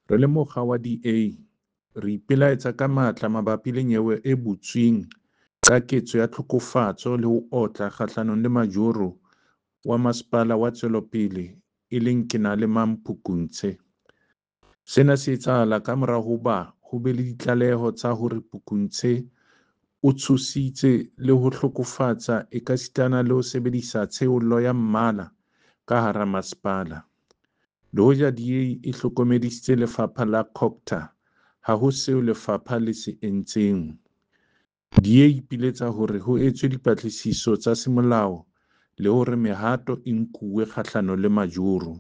Re le mokga wa DA, re ipelaetsa ka matla mabapi le nyewe e butsweng ka ketso ya tlhokofatso le ho otla kgahlanong le majoro wa Masepala wa Tswelopele e leng Kenalemang Phukuntshe. Sena se etsahala kamora hoba ho be le ditlaleho tsa hore Phukuntshe o tshositse le ho hlokofatsa ekasitana le ho sebedisa tsheollo ya mmala ka hara masepala. Le hoja DA e hlokomedisitse lefapha la COGTA, ha ho seo lefapha le se entseng. DA e ipiletsa hore ho etswe dipatlisiso tsa semolao le hore mehato e nkuwe kgahlano le majoro.